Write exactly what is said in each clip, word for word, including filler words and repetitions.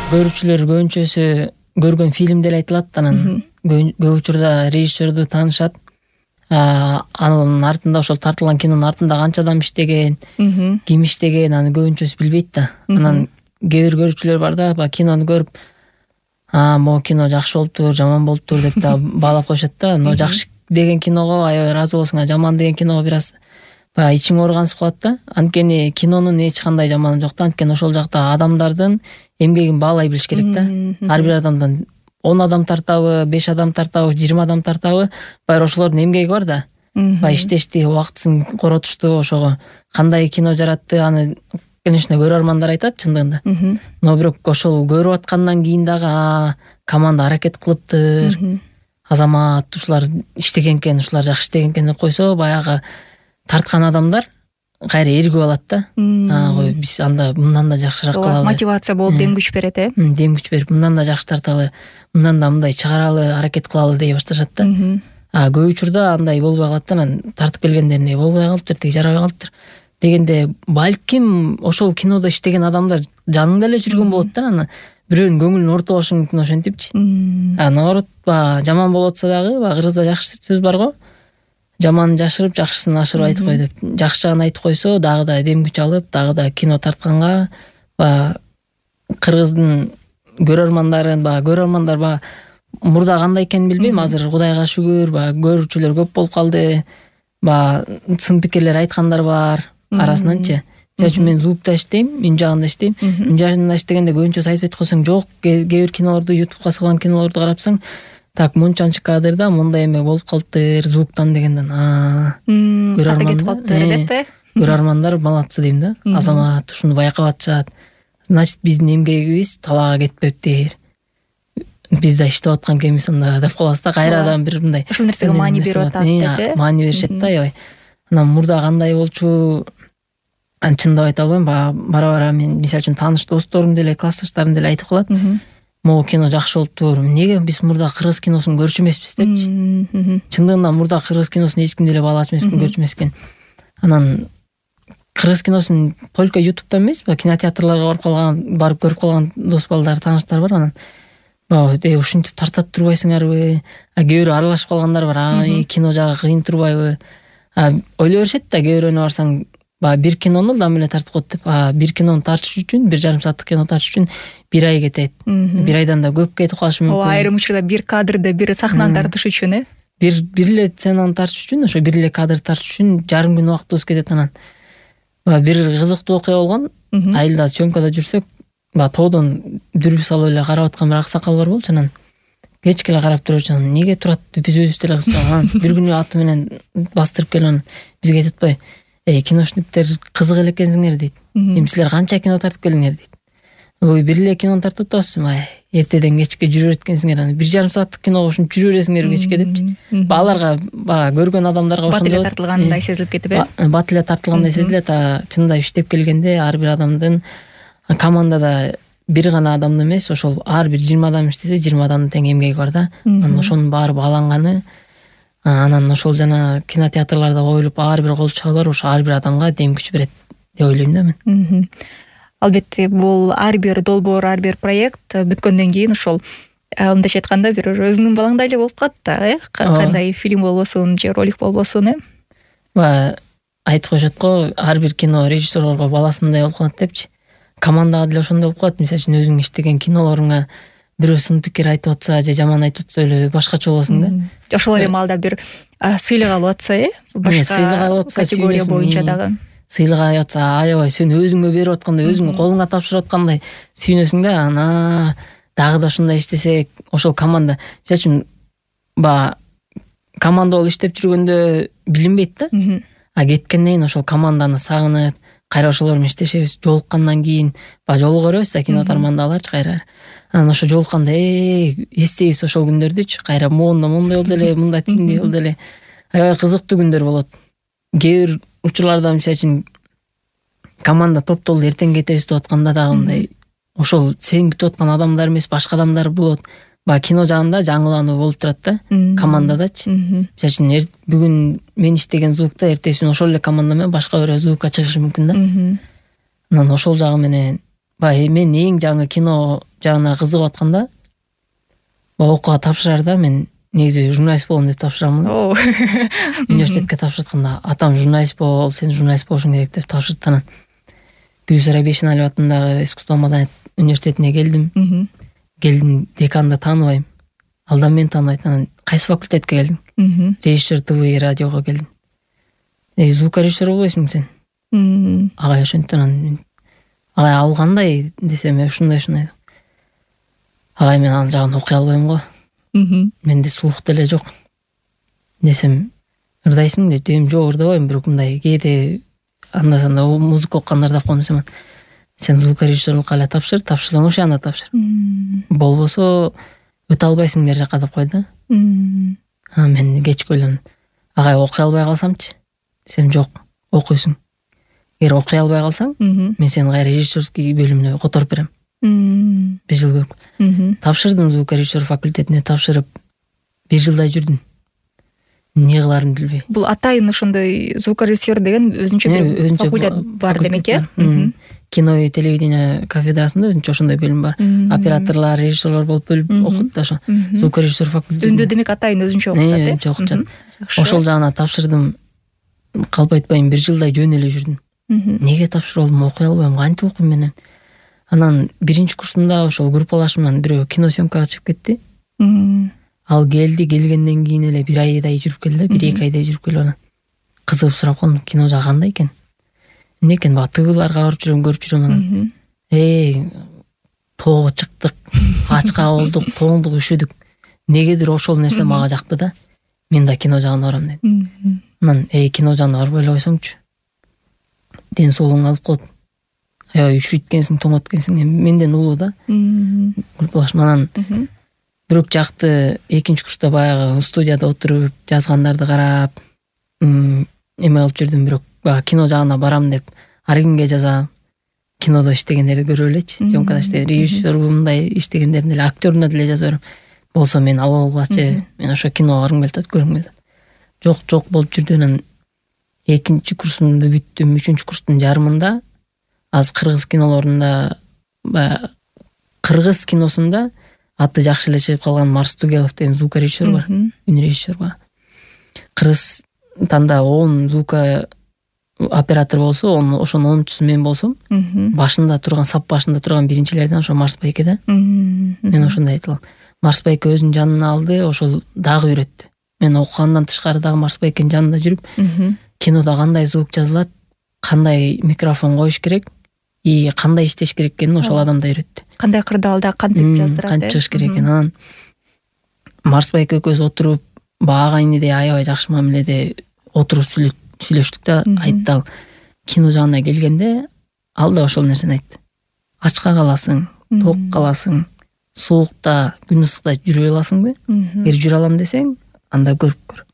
Көрүүчүлөр көбүнчөсү көргөн фильм деле айтылат, анан көп учурда режиссерду таанышат. Анын артында, ошол тартылган кинонун артында канча адам иштеген, ким иштеген, аны көбүнчөсү билбейт да. Анан кээ бир көрүүчүлөр бар да, баягы кинону көрүп, а могу кино жакшы болуптур, жаман болуптур деп да баалап коюшат да. Но жакшы деген киного аябай ыраазы болосуң, а жаман деген киного бир аз баягы ичиң ооргансып калат да. Анткени кинонун эч кандай жаманы жок да. Анткени ошол жакта адамдардын эмгегин баалай билиш керек да. Ар бир адамдан он адам тартабы, беш адам тартабы, жыйырма адам тартабы, баары ошолордун эмгеги бар да. Баягы иштешти, убактысын коротушту, ошого кандай кино жаратты, аны конечно көрөрмандар айтат чындыгында. Но бирок ошол көрүп аткандан кийин дагы команда аракет кылыптыр, Азамат ушулар иштеген экен, ушулар жакшы иштеген экен деп койсо, баягы тарткан адамдар кайра эргип алат да. А кой биз анда мындан да жакшыраак кылалы. Мотивация болуп дем күч берет, э? Дем күч берип, мындан да жакшы тарталы, мындан да мындай чыгаралы, аракет кылалы дей башташат да. А көп учурда андай болбой калат да, анан тартып келгендерине болбой калыптыр, тиги жарабай калыптыр дегенде, балким ошол кинодо иштеген адамдар жанында эле жүргөн болот да, анан бирөөнүн көңүлүн ооруптур болушу мүмкүн ошентипчи. А наоборот, баягы жаман болуп атса дагы, баягы кыргызда жакшы сөз бар го. Жаманын жашырып, жакшысын ашырып айтып кой деп. Жакшы жагын айтып койсо, дагы да дем күч алып, дагы да кино тартканга, баягы кыргыздын көрөрмандарын, баягы көрөрмандар баягы мурда кандай экенин билбейм, азыр Кудайга шүгүр, баягы көрүүчүлөр көп болуп калды. Баягы сын пикирлер айткандар бар арасынанчы. Жана үчүн мен звукта иштейм, үн жагында иштейм. Үн жагында иштегенде көбүнчөсү айтып койсоң, жок, кээ бир кинолорду, ютубка салган кинолорду карапсаң, так мынчанчы кадрда мындай эме болуп калыптыр звуктан дегенден. Көрөрмандар деп э? Көрөрмандар молодцы дейм да. Азамат ушуну байкап атышат. Значит, биздин эмгегибиз талаага кетпептир. Биз да иштеп аткан экенбиз анда деп калабыз да. Кайрадан бир мындай ошол нерсеге маани берип атат деп э? Маани беришет да, аябай. Анан мурда кандай болчу, аны чындап айта албайм. Бара-бара мен мисалы үчүн тааныш досторум деле, классташтарым деле айтып калат. Могу кино жакшы болуптур. Эмнеге биз мурда кыргыз киносун көрчү эмеспиз депчи. Чындыгында мурда кыргыз киносун эч ким деле баалачу эмес экен, көрчү эмес экен. Анан кыргыз киносун только ютубтан эмес, кинотеатрларга барып калган, барып көрүп калган дос балдар, тааныштар бар. Анан баягы ушинтип тартат турбайсыңарбы? А кээ бирөө аралашып калгандар бар. А кино жагы кыйын турбайбы? А ойлой беришет да, кээ бирөөнө барсаң, баягы бир кинону ылдам эле тартып коет деп. А бир кинону тартыш үчүн, бир жарым сааттык кино тартыш үчүн бир ай кетет. Бир айдан да көп кетип калышы мүмкүн. Ооба, айрым учурда бир кадрды, бир сахнаны тартыш үчүн, э? Бир бир эле сценаны тартыш үчүн, ошо бир эле кадрды тартыш үчүн жарым күн убактыбыз кетет. Анан баягы бир кызыктуу окуя болгон. Айылда съемкада жүрсөк, баягы тоодон дүрбү салып эле карап аткан бир аксакал бар болчу. Анан кечке эле карап турчу. Анан эмнеге турат, биз өзүбүз деле кызчак. Анан бир күнү аты менен бастырып келип, анан бизге айтып атпайбы, эй, киношниктер кызык эле экенсиңер дейт. Эми силер канча кино тартып келдиңер дейт. Ой, бир эле кинону тартып атабыз. Ай, эртеден кечке жүрө берет экенсиңер. Анан бир жарым сааттык киного ушинтип жүрө бересиңер кечке депчи. Аларга баягы көргөн адамдарга ошондой бат эле тартылгандай сезилип кетип э? Бат эле тартылгандай сезилет. А чындап иштеп келгенде ар бир адамдын командада бир гана адам эмес, ошол ар бир жыйырма адам иштесе, жыйырма адамдын тең эмгеги бар да. Анан ошонун баары бааланганы, анан ошол жана кинотеатрларда коюлуп ар бир кол чабуулар ошо ар бир адамга дем күч берет деп ойлойм да мен. Албетте, бул ар бир долбоор, ар бир проект бүткөндөн кийин ошол мындайча айтканда бир өзүңдүн балаңдай эле болуп калат да, э? Кандай фильм болбосун же ролик болбосун, э? Баягы айтып коюшат го, ар бир кино режиссерлорго баласындай болуп калат депчи. Командага деле ошондой болуп калат. Мисалы үчүн өзүң иштеген кинолоруңа бирөө сын пикир айтып атса же жаман айтып атса эле башкача болосуң да. Ошол эле маалда бир сыйлык алып атса, э? Башка категория боюнча дагы сыйлык алып атса, аябай сен өзүңө берип аткандай, өзүңө колуңа тапшырып аткандай сүйүнөсүң да. Ана дагы да ушундай иштесек, ошол команда, мисалы үчүн баягы команда болуп иштеп жүргөндө билинбейт да. А кеткенден кийин ошол команданы сагынып, кайра ошолор менен иштешебиз. Жолуккандан кийин баягы жолуга беребиз да, кино тармандагыларчы кайра. Анан ошо жолукканда э эстейбиз ошол күндөрдүчү. Кайра моунда мондай болду эле, мында тигиндей болду эле. Аябай кызыктуу күндөр болот. Кээ бир учурларда мисалы үчүн команда топтолду эртең кетебиз деп атканда дагы мындай ошол сен күтүп аткан адамдар эмес, башка адамдар болот. Баягы кино жагында жаңылануу болуп турат да, командадачы. Мисалы үчүн бүгүн мен иштеген звукта эртеси күнү ошол эле команда менен башка бирөө звукка чыгышы мүмкүн да. Анан ошол жагы менен баягы мен эң жаңы кино жагына кызыгып атканда баягы окууга тапшырарда мен негизи журналист болом деп тапшырамын. Университетке тапшырып атканда атам журналист бол, сен журналист болушуң керек деп тапшырды. Анан Гүлсара Бейшеналиева атындагы искусство маданият университетине келдим. Келдим, деканды тааныбайм. Алдан мени тааныбайт. Анан кайсы факультетке келдиң? Режиссер ТВ радиого келдим. Э, звукорежиссер болбойсуң сен? Агай ошентти. Анан агай ал кандай десем, ушундай ушундай. Агай мен ал жагын окуй албайм го. Менде слух деле жок десем, ырдайсың деп, дем жок ырдабайм, бирок мындай кээде анда санда музыка окуганда ырдап коем десем, сен звукорежиссерлукка эле тапшыр, тапшырсаң ошол анда тапшыр. Болбосо өтө албайсың бер жака деп койду. Анан мен кечке ойлондум. Агай окуй албай калсамчы? Десем, жок, окуйсуң. Эгер окуй албай калсаң, мен сени кайра режиссерский бөлүмүнө которуп берем. Бир жыл көрүп. Тапшырдым звукорежиссер факультетине, тапшырып бир жылдай жүрдүм. Эмне кыларымды билбей. Бул атайын ошондой звукорежиссер деген өзүнчө бир факультет бар демек, э? Кино и телевидение кафедрасында өзүнчө ошондой бөлүм бар. Операторлор, режиссерлор болуп бөлүп окут да ошо. Звукорежиссер факультети. Өндө демек атайын өзүнчө окутат, э? Өзүнчө окутат. Ошол жагына тапшырдым. Калп айтпайм, бир жылдай жөн эле жүрдүм. Неге тапшырып алдым, окуй албайм, кантип окуйм мен? Анан биринчи курсунда ошол группалашым менен бирөө кино съемкага чыгып кетти. Ал келди, келгенден кийин эле бир айдай жүрүп келди, бир эки айдай жүрүп келип анан кызыгып сурап калдым, кино жагы кандай экен? Эмне экен, баа тыгыларга барып жүрөм, көрүп жүрөм анан. Эй, тоого чыктык, ачка болдук, тоңдук, üşүдүк. Негедир ошол нерсе мага жакты да. Мен да кино жагына барам дедим. Анан эй, кино жагына барбай эле койсоңчу. Ден соолугуң алып коет. Аябай üşүйт экенсиң, тоңот экенсиң. Менден улуу да. Группалашым анан бирок жакты экинчи курста баягы студияда отуруп, жазгандарды карап, эме кылып жүрдүм, бирок баягы кино жагына барам деп ар кимге жазам. Кинодо иштегендерди көрүп элечи, съемкада иштеген режиссер мындай иштегендерин эле, актёруна деле жаза берем. Болсо мен алгылачы, мен ошо киного баргым келип атат, көргүм келип атат. Жок, жок болуп жүрдү. Анан экинчи курсумду бүттүм, үчүнчү курстун жарымында аз кыргыз кинолорунда, баягы кыргыз киносунда аты жакшы эле чыгып калган Марс Тугелов деген звукорежиссер бар, үн режиссер бар. Кыргыз танда он звука оператор болсо, ошонун онунчусу мен болсом, башында турган, сап башында турган биринчилерден ошо Марс байке да. Мен ошондой айтылам. Марс байке өзүнүн жанына алды, ошол дагы үйрөттү. Мен окугандан тышкары дагы Марс байкенин жанында жүрүп, кинода кандай звук жазылат, кандай микрофон коюш керек, и кандай иштеш керек экенин ошол адам да үйрөттү. Кандай кырдаалда кантип жаздырат, кантип чыгыш керек экенин. Анан Марс байке экөөбүз отуруп, бага иниде аябай жакшы мамиледе отуруп сүйлөштүк да, айтты ал. Кино жагына келгенде ал да ошол нерсени айтты. Ачка каласың, ток каласың, соокта, күн ысыкта жүрө аласыңбы? Эгер жүрө алам десең, анда көрүп көр.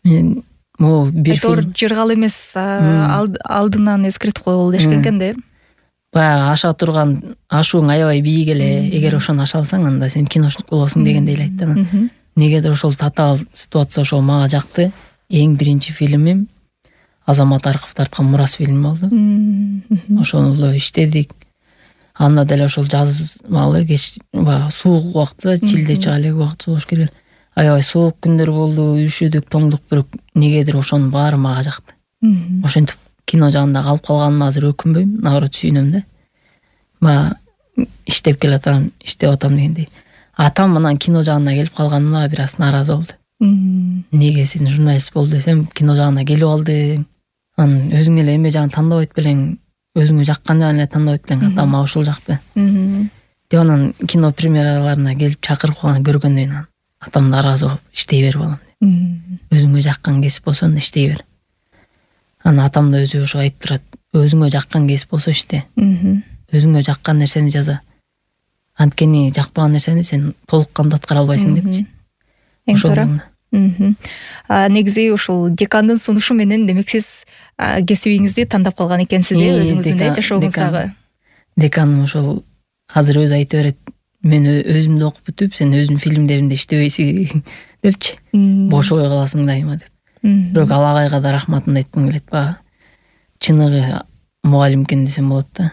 Мен могу бир фильм жыргал эмес, алдынан эскертип койгул дешкен экен да. Баягы аша турган ашууң аябай бийик эле, эгер ошону аша алсаң, анда сен киночулук болосуң дегендей эле айтты. Анан негедир ошол татаал ситуация ошол мага жакты. Эң биринчи фильмим Азамат Арков тарткан Мурас фильми болду. Ошону иштедик. Анда деле ошол жазмалы кеч, баягы суук убакта, чилде чыга элек убакыт сууш керек. Аябай суук күндөр болду, üşүдүк, тоңдук, бирок негедир ошонун баары мага жакты. Ошентип кино жагында калып калганыма азыр өкүнбөйм, наоборот сүйүнөм да. Баягы иштеп келатам, иштеп атам дегендей. Атам анан кино жагына келип калганыма бир аз нааразы болду. Неге сен журналист бол десем, кино жагына келип алдың. Анан өзүң эле эме жагын тандабайт белең, өзүңө жаккан жагын эле тандабайт белең, атам ошол жакты. Деп анан кино премьераларына келип чакырып калганын көргөндөн кийин атам нааразы болуп, иштей бер балам деп. Өзүңө жаккан кесип болсо иштей бер. Анан атам да өзү ошо айтып турат. Өзүңө жаккан кесип болсо иште. Өзүңө жаккан нерсени жаза. Анткени жакпаган нерсени сен толук кандуу аткара албайсың депчи. Эң туура. Негизи ушул декандын сунушу менен демек сиз кесибиңизди тандап калган экенсиз, э, өзүңүздүн жашооңуздагы. Деканым ошол азыр өзү айтып берет. Мен өзүмдү окуп бүтүп, сен өзүнүн фильмдериңди иштебейсиң депчи. Бош ой каласың дайыма деп. Бирок ал агайга да рахматымды айткым келет. Баягы чыныгы мугалим экен десем болот да.